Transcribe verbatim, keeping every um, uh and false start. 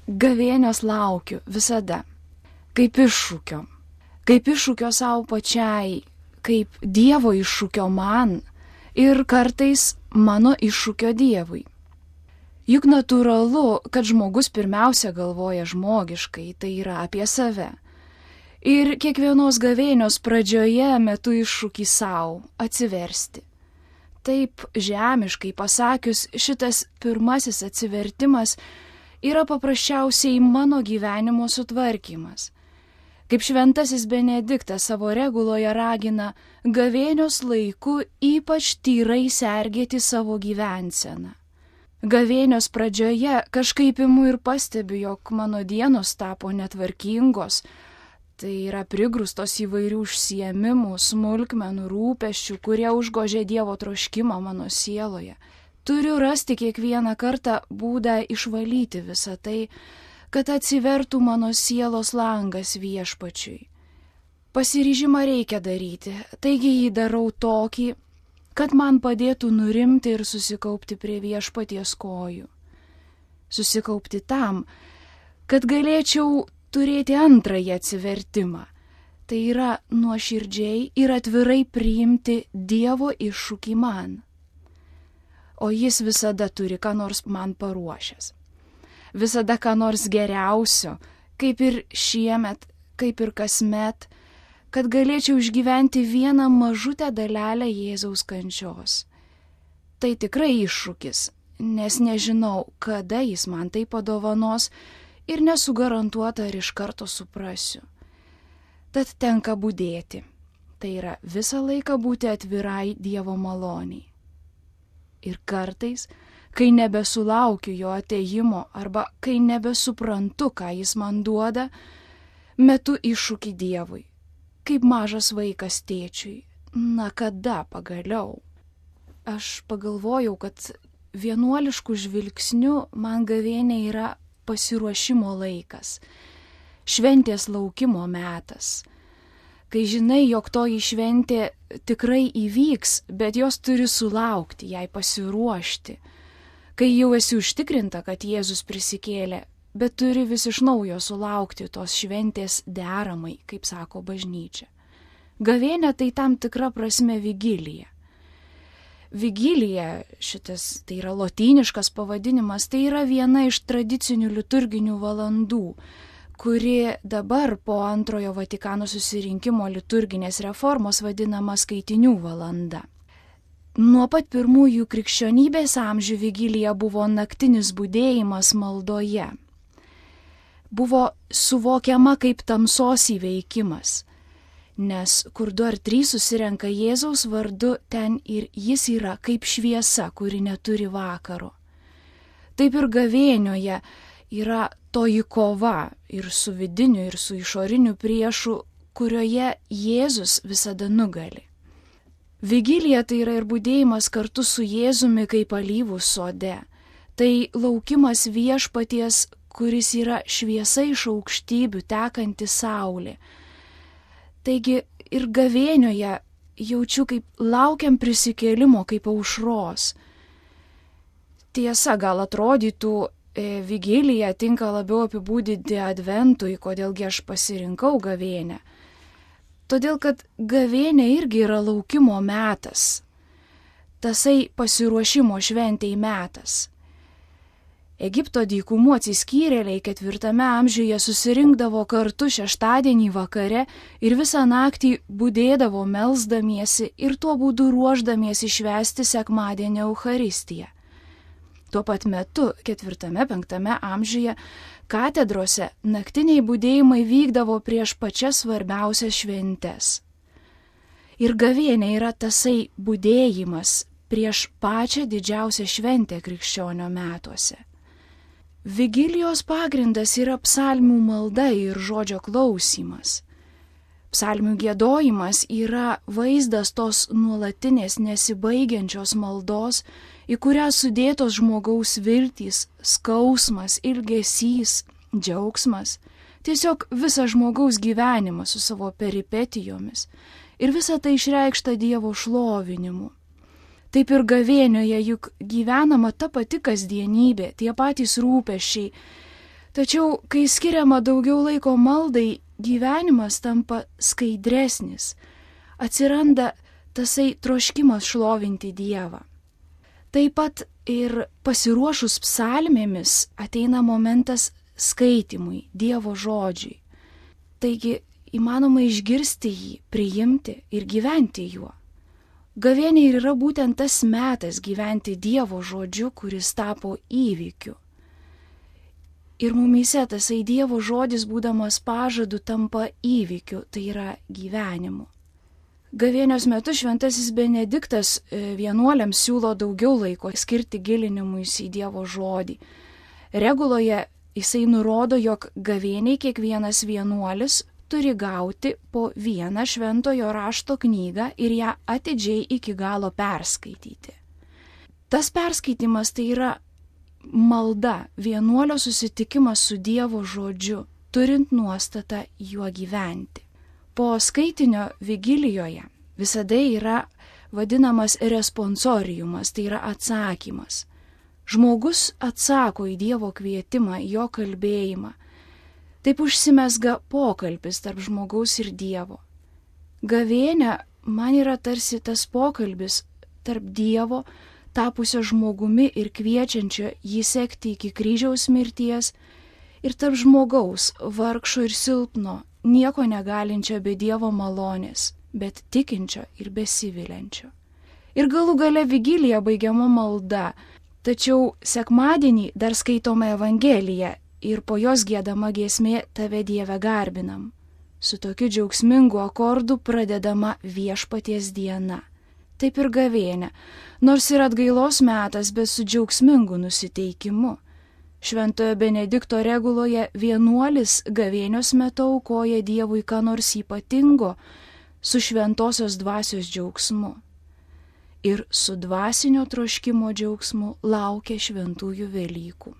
gavėnios laukiu visada, kaip iššūkio, kaip iššūkio savo pačiai, kaip Dievo iššūkio man ir kartais mano iššūkio Dievui. Juk natūralu, kad žmogus pirmiausia galvoja žmogiškai, tai yra apie save. Ir kiekvienos gavėnios pradžioje metu iššūkį savo atsiversti. Taip žemiškai pasakius, šitas pirmasis atsivertimas yra paprasčiausiai mano gyvenimo sutvarkymas. Kaip šventasis Benediktas savo reguloje ragina, gavėnios laiku ypač tyrai sergėti savo gyvenseną. Gavėnios pradžioje kažkaip imu ir pastebiu, jog mano dienos tapo netvarkingos, tai yra prigrūstos įvairių užsiėmimų, smulkmenų, rūpesčių, kurie užgožė Dievo troškimą mano sieloje. Turiu rasti kiekvieną kartą būdą išvalyti visą tai, kad atsivertų mano sielos langas Viešpačiui. Pasiryžimą reikia daryti, taigi jį darau tokį, kad man padėtų nurimti ir susikaupti prie Viešpaties kojų. Susikaupti tam, kad galėčiau turėti antrąjį atsivertimą. Tai yra nuoširdžiai ir atvirai priimti Dievo iššūkį man. O jis visada turi ką nors man paruošęs. Visada ką nors geriausio, kaip ir šiemet, kaip ir kasmet, kad galėčiau išgyventi vieną mažutę dalelę Jėzaus kančios. Tai tikrai iššūkis, nes nežinau, kada jis man tai padovanos ir nesu garantuota, ar iš karto suprasiu. Tad tenka budėti, tai yra visą laiką būti atvirai Dievo maloniai. Ir kartais, kai nebesulaukiu jo atėjimo arba kai nebesuprantu, ką jis man duoda, metu iššūkį Dievui, kaip mažas vaikas tėčiui. Na kada pagaliau? Aš pagalvojau, kad vienuoliškų žvilgsnių man gavėnė yra pasiruošimo laikas, šventės laukimo metas. Kai žinai, jog toji šventė tikrai įvyks, bet jos turi sulaukti, jai pasiruošti. Kai jau esi užtikrinta, kad Jėzus prisikėlė, bet turi vis iš naujo sulaukti tos šventės deramai, kaip sako bažnyčia. Gavėnė tai tam tikra prasme vigilija. Vigilija, šitas tai yra lotyniškas pavadinimas, tai yra viena iš tradicinių liturginių valandų, kuri dabar po antrojo Vatikano susirinkimo liturginės reformos vadinama skaitinių valanda. Nuo pat pirmųjų krikščionybės amžių vigilija buvo naktinis budėjimas maldoje. Buvo suvokiama kaip tamsos įveikimas, nes kur du ar trys susirenka Jėzaus vardu, ten ir jis yra kaip šviesa, kuri neturi vakaro. Taip ir gavėnioje yra toji kova ir su vidiniu, ir su išoriniu priešu, kurioje Jėzus visada nugali. Vigilija tai yra ir budėjimas kartu su Jėzumi kaip alyvų sode. Tai laukimas Viešpaties, kuris yra šviesa iš aukštybių tekanti saulė. Taigi ir gavėnioje jaučiu, kaip laukiam prisikėlimo, kaip aušros. Tiesa, gal atrodytų, e, vigilija tinka labiau apibūdinti adventui, kodėlgi aš pasirinkau gavėnę. Todėl, kad gavėnė irgi yra laukimo metas, tasai pasiruošimo šventei metas. Egipto dykumų atsiskyrėliai ketvirtame amžiuje susirinkdavo kartu šeštadienį vakare ir visą naktį budėdavo melsdamiesi ir tuo būdu ruošdamiesi švęsti sekmadienio Eucharistiją. Tuo pat metu ketvirtame penktame amžiuje katedrose naktiniai budėjimai vykdavo prieš pačias svarbiausias šventes. Ir gavėnė yra tasai budėjimas prieš pačią didžiausią šventę krikščionio metuose. Vigilijos pagrindas yra psalmių malda ir žodžio klausymas. Psalmių giedojimas yra vaizdas tos nuolatinės nesibaigiančios maldos, į kurią sudėtos žmogaus viltys, skausmas, ilgesys, džiaugsmas, tiesiog visas žmogaus gyvenimas su savo peripetijomis ir visa tai išreikšta Dievo šlovinimu. Taip ir gavėnioje juk gyvenama ta pati kasdienybė, tie patys rūpesčiai, Tačiau, kai skiriama daugiau laiko maldai, gyvenimas tampa skaidresnis, atsiranda tasai troškimas šlovinti Dievą. Taip pat ir pasiruošus psalmėmis ateina momentas skaitimui, Dievo žodžiui. Taigi įmanoma išgirsti jį, priimti ir gyventi juo. Gavėnia ir yra būtent tas metas gyventi Dievo žodžiu, kuris tapo įvykiu. Ir mumyse tasai Dievo žodis, būdamas pažadu, tampa įvykiu, tai yra gyvenimu. Gavėnios metu šventasis Benediktas vienuoliams siūlo daugiau laiko skirti gilinimuisi į Dievo žodį. Reguloje jisai nurodo, jog gavėniai kiekvienas vienuolis turi gauti po vieną šventojo rašto knygą ir ją atidžiai iki galo perskaityti. Tas perskaitimas tai yra malda, vienuolio susitikimas su Dievo žodžiu, turint nuostatą juo gyventi. Po skaitinio vigilijoje visada yra vadinamas responsoriumas, tai yra atsakymas. Žmogus atsako į Dievo kvietimą, jo kalbėjimą. Taip užsimesga pokalbis tarp žmogaus ir Dievo. Gavėnia man yra tarsi tas pokalbis tarp Dievo, tapusio žmogumi ir kviečiančio jį sekti iki kryžiaus mirties, ir tarp žmogaus, vargšo ir silpno, nieko negalinčio be Dievo malonės, bet tikinčio ir besiviliančio. Ir galų gale vigilija baigiama malda, tačiau sekmadienį dar skaitoma Evangelija ir po jos giedama giesmė Tave Dieve garbinam. Su tokiu džiaugsmingu akordu pradedama Viešpaties diena. Taip ir gavėnia, nors ir atgailos metas, bet su džiaugsmingu nusiteikimu. Šventojo Benedikto reguloje vienuolis gavėnios metu aukoja Dievui ką nors ypatingo su šventosios dvasios džiaugsmu. Ir su dvasinio troškimo džiaugsmu laukia šventųjų Velykų.